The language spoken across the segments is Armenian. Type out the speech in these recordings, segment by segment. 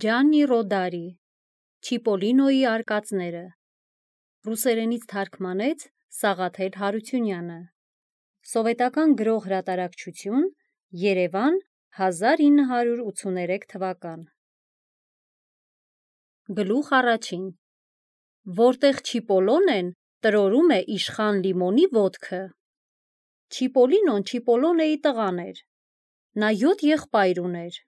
Ջաննի Ռոդարի Չիպոլինոյի արկածները ռուսերենից թարգմանեց Սաղաթել Հարությունյանը Սովետական գրող հրատարակչություն Երևան 1983 թվական Գլուխ առաջին Որտեղ Չիպոլոն են, տրորում է իշխան Լիմոնի ոտքը Չիպոլինոն Չիպոլոնեի տղան էր Նա 7 եղբայր ուներ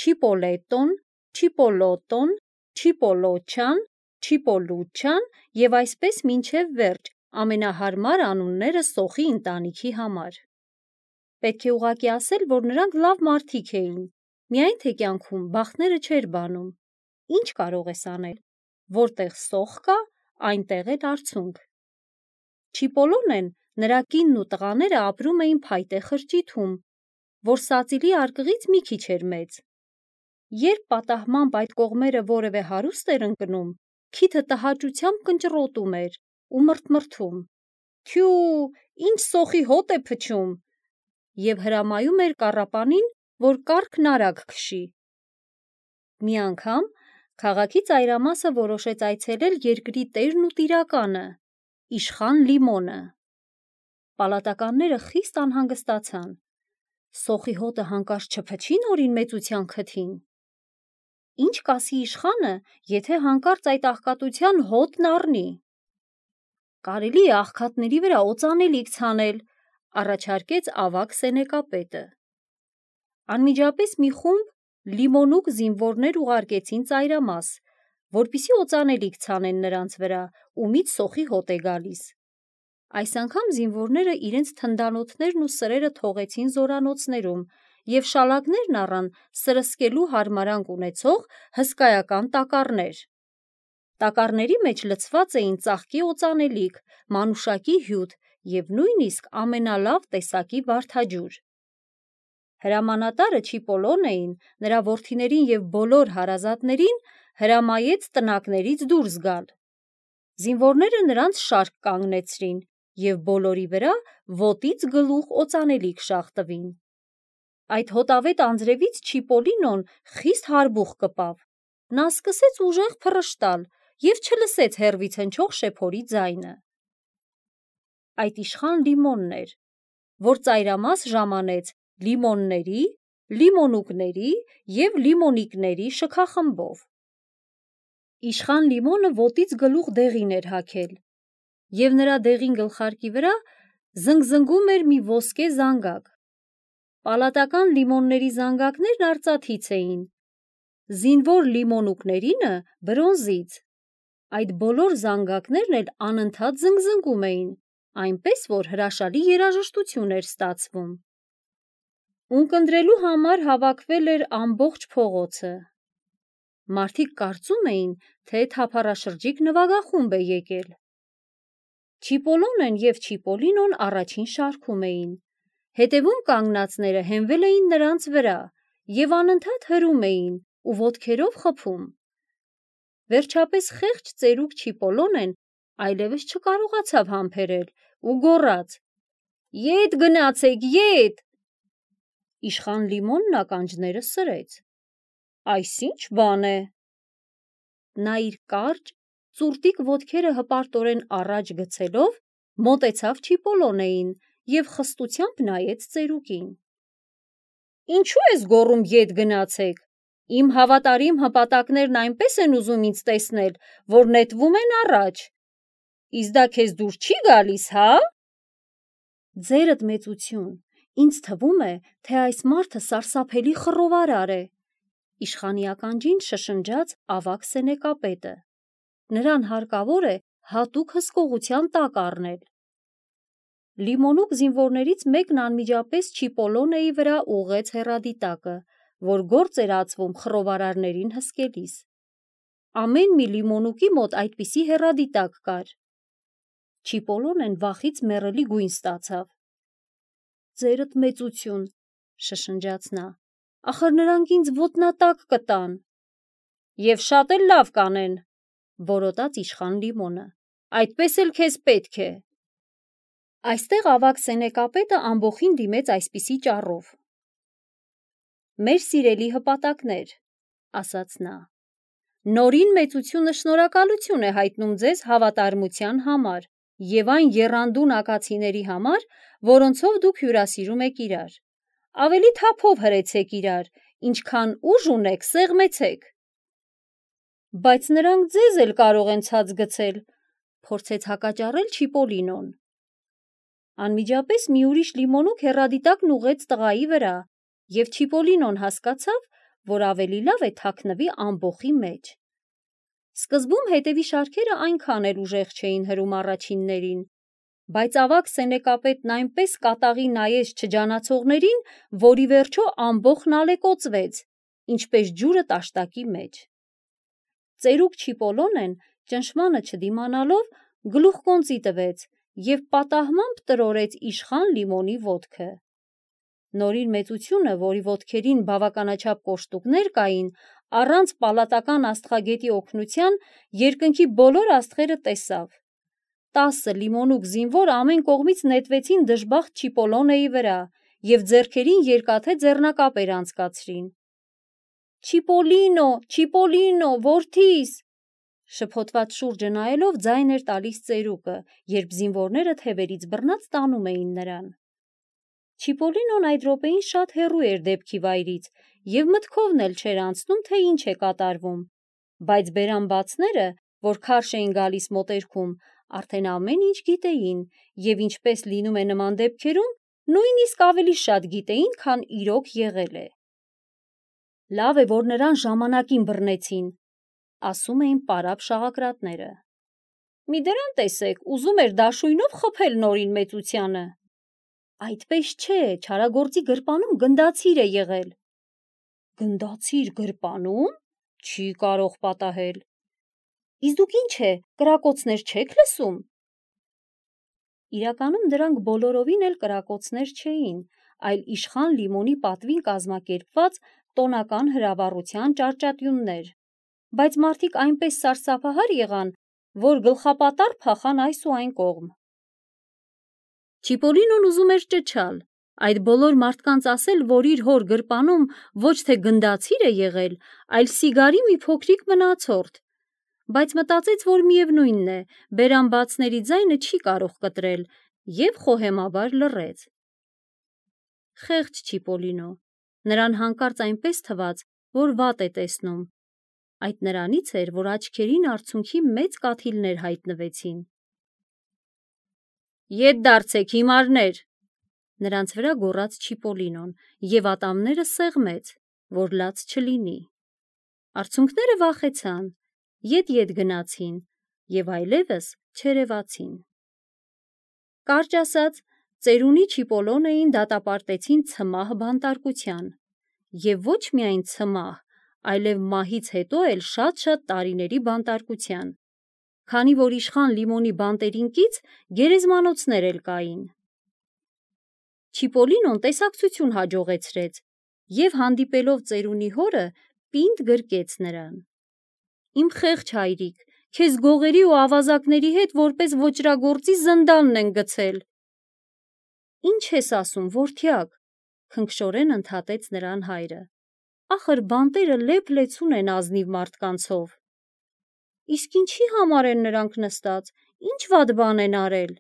Չիպոլետոն, Չիպոլոտոն, Չիպոլոչան, Չիպոլուչան և այսպես մինչև վերջ ամենահարմար անունները Սոխի ընտանիքի համար Պետք է ուղղակի ասել, որ նրանք լավ մարդիկ էին Միայն թե կյանքում բախտները չէր բանում Ինչ կարող ես անել Որտեղ սոխ կա, այնտեղ էլ արցունք Չիպոլոնեն, նրա կինն ու տղաները ապրում էին փայտե խրճիթում, որ սածիլի արկղից մի քիչ էր մեծ Երբ պատահմամբ այդ կողմերը որևէ հարուստ էր ընկնում, քիթը տհաճությամբ կնճռոտում էր ու մռթմռթում Թյու, ինչ սոխի հոտ է փչում և հրամայում էր կառապանին, որ կառքն արագ քշի Մի անգամ քաղաքի ծայրամասը որոշեց այցելել երկրի տերն ու տիրականը, իշխան Լիմոնը Պալատականները խիստ անհանգստացան Սոխի հոտը հանկարծ չփչի նորին մեծության քթին Ինչ կասի իշխանը, եթե հանկարծ այդ աղքատության հոտն առնի Կարելի է աղքատների վրա օծանելիք ցանել, առաջարկեց ավագ սենեկապետը Անմիջապես մի խումբ լիմոնուկ զինվորներ ուղարկեցին ծայրամաս, որպեսզի օծանելիք ցանեն նրանց վրա, ումից սոխի հոտ է գալիս Այս անգամ զինվորները իրենց թնդանոթներն ու սրերը թողեցին զորանոցներում և շալակներն առան սրսկելու հարմարանք ունեցող հսկայական տակառներ Տակառների մեջ լցված էին ծաղկի օծանելիք, մանուշակի հյութ և նույնիսկ ամենալավ տեսակի վարդաջուր Հրամանատարը Չիպոլոնեին, նրա որդիներին և բոլոր հարազատներին հրամայեց տնակներից դուրս գալ Զինվորները նրանց շարք կանգնեցրին և բոլորի վրա ոտից գլուխ օծանելիք շաղ տվին Այդ հոտավետ անձրևից Չիպոլինոն խիստ հարբուխ կպավ Նա սկսեց ուժեղ փռշտալ և չլսեց հեռվից հնչող շեփորի ձայնը Այդ իշխան Լիմոնն էր, որ ծայրամաս ժամանեց լիմոնների, լիմոնուկների և լիմոնիկների շքախմբով Իշխան Լիմոնը ոտից գլուխ դեղին էր հագել և նրա դեղին գլխարկի վրա զնգզնգում էր մի ոսկե զանգակ Պալատական լիմոնների զանգակներն արծաթից էին, զինվոր լիմոնուկներինը բրոնզից Այդ բոլոր զանգակներն էլ անընդհատ զնգզնգում էին, այնպես որ հրաշալի երաժշտություն էր ստացվում Ունկնդրելու համար հավաքվել էր ամբողջ փողոցը Մարդիկ կարծում էին, թե թափառաշրջիկ նվագախումբ է եկել Չիպոլոնեն և Չիպոլինոն առաջին շարքում էին Հետևում կանգնածները հենվել էին նրանց վրա և անընդհատ հրում էին ու ոտքերով խփում Վերջապես խեղճ ծերուկ Չիպոլոնեն այլևս չկարողացավ համբերել ու գոռաց Ետ գնացեք, ետ Իշխան Լիմոնն ականջները սրեց Այս ի՞նչ բան է Նա իր կարճ, ծուռտիկ ոտքերը հպարտորեն առաջ գցելով մոտեցավ Չիպոլոնեին և խստությամբ նայեց ծերուկին Ինչո՞ւ ես գոռում ետ գնացեք Իմ հավատարիմ հպատակներն այնպես են ուզում ինձ տեսնել, որ նետվում են առաջ Իսկ դա քեզ դուր չի գալիս, հա՞: Ձերդ մեծություն, ինձ թվում է, թե այս մարդը սարսափելի խռովարար է, իշխանի ականջին շշնջաց ավագ սենեկապետը Նրան հարկավոր է հատուկ հսկողության տակ առնել Լիմոնուկ զինվորներից մեկն անմիջապես Չիպոլոնեի վրա ուղղեց հեռադիտակը, որ գործ էր ածվում խռովարարներին հսկելիս Ամեն մի լիմոնուկի մոտ այդպիսի հեռադիտակ կար Չիպոլոնեն վախից մեռելի գույն ստացավ Ձերդ մեծություն, շշնջաց նա, ախր նրանք ինձ ոտնատակ կտան Եվ շատ էլ լավ կանեն, որոտաց իշխան Լիմոնը, այդպես էլ քեզ պետք է Այստեղ ավագ սենեկապետը ամբոխին դիմեց այսպիսի ճառով Մեր սիրելի հպատակներ, ասաց նա Նորին մեծությունը շնորհակալություն է հայտնում ձեզ հավատարմության համար և այն եռանդուն ակացիների համար, որոնցով դուք հյուրասիրում եք իրար։ Ավելի թափով հրեցեք իրար, ինչքան ուժ ունեք, սեղմեցեք։ Բայց նրանք ձեզ էլ կարող են ցած գցել, փորձեց հակաճառել Չիպոլինոն։ Անմիջապես մի ուրիշ լիմոնուկ հեռադիտակն ուղղեց տղայի վրա, և Չիպոլինոն հասկացավ, որ ավելի լավ է թաքնվի ամբոխի մեջ։ Սկզբում հետևի շարքերը այնքան էլ ուժեղ չէին հրում առաջիններին, բայց ավագ սենեկապետն այնպես կատաղի նայեց չջանացողներին, որ ի վերջո ամբոխն ալեկոծվեց, ինչպես ջուրը տաշտակի մեջ։ Ծերուկ Չիպոլոնեն, ճնշմանը չդիմանալով, գլուխկոնծի տվեց և պատահմամբ տրորեց իշխան լիմոնի ոտքը։ Նորին մեծությունը, որի ոտքերին բավականաչափ կոշտուկներ կային, առանց պալատական աստղագետի օգնության երկնքի բոլոր աստղերը տեսավ։ 10 լիմոնուկ զինվոր ամեն կողմից նետվեցին դժբախտ Չիպոլոնեի վրա և ձեռքերին երկաթե ձեռնակապեր անցկացրին։ Չիպոլինո, Չիպոլինո, որդիս, շփոթված շուրջը նայելով ձայն էր տալիս ծերուկը, երբ զինվորները թևերից բռնած տանում էին նրան։ Չիպոլինոն այդ րոպեին շատ հեռու էր դեպքի վայրից և մտքովն էլ չէր անցնում, թե ինչ է կատարվում, բայց բերանբացները, որ քարշ էին գալիս մոտերքում, արդեն ամեն ինչ գիտեին և ինչպես լինում է նման դեպքերում, նույնիսկ ավելի շատ գիտեին, քան իրոք եղել է։ Լավ է, որ նրան ժամանակին բռնեցին, ասում էին պարապ շաղակրատները։ Մի դրան տեսեք, ուզում էր դաշույնով խփել Նորին մեծությանը։ Այդպես չէ, չարագործի գրպանում գնդացիր է եղել։ Գնդացիր գրպանում? Չի կարող պատահել։ Իսկ դուք ինչ է, կրակոցներ չեք լսում։ Իրականում դրանք բոլորովին էլ կրակոցներ չէին, այլ իշխան լիմոնի պատվին կազմակերպված տոնական հրավառության ճարճատյուններ, բայց մարդիկ այնպես սարսափահար եղան, որ գլխապատառ փախան այս ու այն կողմ։ Չիպոլինոն ուզում էր ճչալ, այդ բոլոր մարդկանց ասել, որ իր հոր գրպանում ոչ թե գնդացիր է եղել, այլ սիգարի մի փոքրիկ մնացորդ, բայց մտածեց, որ միևնույնն է, բերանբացների ձայնը չի կարող կտրել, և խոհեմաբար լռեց։ Խեղճ Չիպոլինո, նրան հանկարծ այնպես թվաց, որ վատ է տեսնում։ Այդ նրանից էր, որ աչքերին արցունքի մեծ կաթիլներ հայտնվեցին։ Ետ դարձեք, հիմարներ, նրանց վրա գոռաց Չիպոլինոն և ատամները սեղմեց, որ լաց չլինի։ Արցունքները վախեցան, ետ գնացին և այլևս չերևացին։ Կարճ ասած, ծերունի Չիպոլոնեին դատապարտեցին ցմահ բանտարկության, և ոչ միայն ցմահ, այլև մահից հետո էլ շատ-շատ տարիների բանտարկության, քանի որ իշխան լիմոնի բանտերին կից գերեզմանոցներ էլ կային։ Չիպոլինոն տեսակցություն հաջողեցրեց և հանդիպելով ծերունի հորը, պինդ գրկեց նրան։ Իմ խեղճ հայրիկ, քեզ գողերի ու ավազակների հետ որպես ոճրագործի զնդանն են գցել։ Ինչ ես ասում, որդյակ, քնքշորեն ընդհատեց նրան հայրը։ Ախր բանտերը լեփ-լեցուն են ազնիվ մարդկանցով։ Իսկ ինչի համար են նրանք նստած, ինչ վատ բան են արել։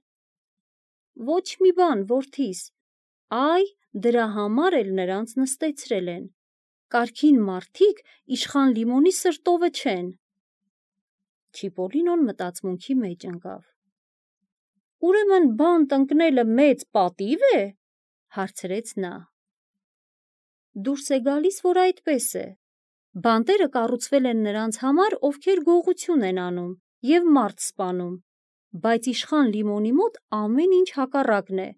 Ոչ մի բան, որդիս, այ դրա համար էլ նրանց նստեցրել են։ Կարգին մարդիկ իշխան լիմոնի սրտովը չեն։ Չիպոլինոն մտածմունքի մեջ ընկավ։ Ուրեմն բանտ ընկնելը մեծ պատիվ է, հարցրեց նա։ Դուրս է գալիս, որ այդպես է։ Բանտերը կառուցվել են նրանց համար, ովքեր գողություն են անում և մարդ սպանում, բայց իշխան լիմոնի մոտ ամեն ինչ հակառակն է։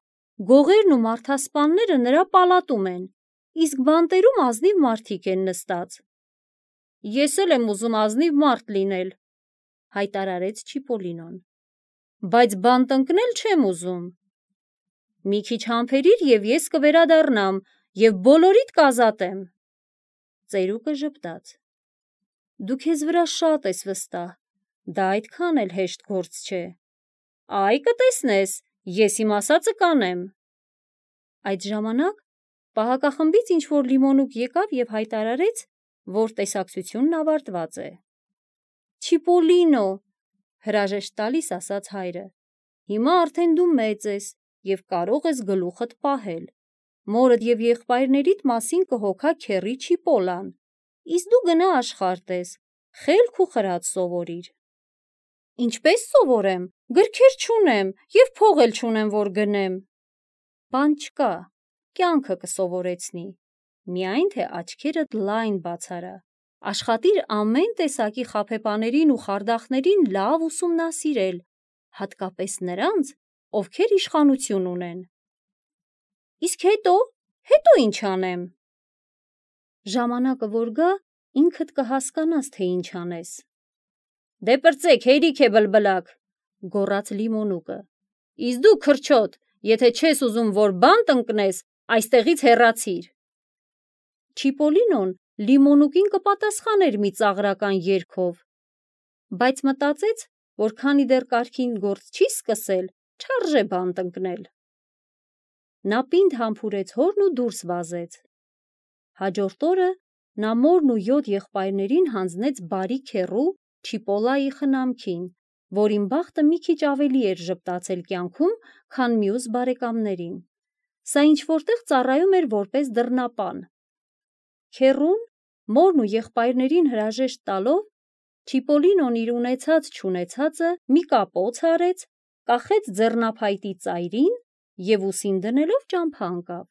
Գողերն ու մարդասպանները նրա պալատում են, իսկ բանտերում ազնիվ մարդիկ են նստած։ Ես էլ եմ ուզում ազնիվ մարդ լինել, հայտարարեց Չիպոլինոն, բայց բանտ ընկնել չեմ ուզում։ Մի քիչ համբերիր և ես կվերադառնամ և բոլորիդ կազատեմ։ Ծերուկը ժպտաց։ Դու քեզ վրա շատ ես վստահ, դա այդքան էլ հեշտ գործ չէ։ Այ կտեսնես, ես իմ ասածը կանեմ։ Այդ ժամանակ պահակախմբից ինչ-որ լիմոնուկ եկավ և հայտարարեց, որ տեսակցությունն ավարտված է։ Չիպոլինո, հրաժեշտ տալիս ասաց հայրը, հիմա արդեն դու մեծ ես և կարող ես գլուխդ պահել, մորդ և եղբայրներիդ մասին կհոգա քեռի Չիպոլան, իսկ դու գնա աշխարհ տես, խելք ու խրատ սովորիր։ Ինչպես սովորեմ, գրքեր չունեմ և փող էլ չունեմ, որ գնեմ։ Բան չկա, կյանքը կսովորեցնի, միայն թե աչքերդ լայն բացարա, աշխատիր ամեն տեսակի խաբեբաներին ու խարդախներին լավ ուսումնասիրել, հատկապես նրանց, ովքեր իշխանություն ունեն։ Իսկ հետո ինչ անեմ։ Ժամանակը որ գա, ինքդ կհասկանաս, թե ինչ անես։ Դե պրծեք, հերիք է բլբլակ, գոռաց Լիմոնուկը, իսկ դու քրչոտ, եթե չես ուզում, որ բան տնկնես, այստեղից հեռացիր։ Չիպոլինոն Լիմոնուկին կպատասխաներ մի ծաղրական երգով, բայց մտածեց, որ քանի դեռ կարգին գործ չի սկսել, չարժե բան տնկնել։ Նա պինդ համբուրեց հորն ու դուրս վազեց։ Հաջորդ օրը նա մորն ու 7 եղբայրներին հանձնեց բարի քեռու Չիպոլայի խնամքին, որին բախտը մի քիչ ավելի էր ժպտացել կյանքում, քան մյուս բարեկամներին։ Սա ինչ-որտեղ ծառայում էր որպես դռնապան։ Քեռուն, մորն ու եղբայրներին հրաժեշտ տալով, Չիպոլինոն իր ունեցած-չունեցածը մի կապոց արեց, կախեց ձեռնափայտի ծայրին և ուսին դնելով ճամփա ընկավ։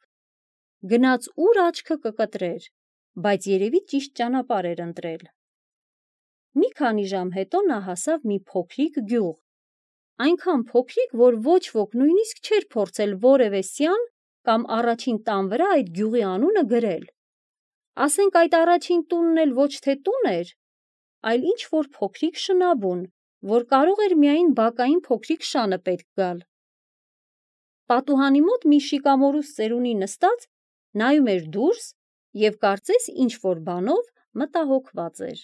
Գնաց ուր աչքը կկտրեր, բայց երևի ճիշտ ճանապարհ էր ընտրել։ Մի քանի ժամ հետո նա հասավ մի փոքրիկ գյուղ, այնքան փոքրիկ, որ ոչ ոք նույնիսկ չէր փորձել որևէ սյան կամ առաջին տան վրա այդ գյուղի անունը գրել։ Ասենք այդ առաջին տունն էլ ոչ թե տուն էր, այլ ինչ-որ փոքրիկ շնաբուն, որ կարող էր միայն բակային փոքրիկ շանը պետք գալ։ Պատուհանի մոտ մի շիկամորուս ծերունի նստած նայում էր դուրս և կարծես ինչ-որ բանով մտահոգված էր։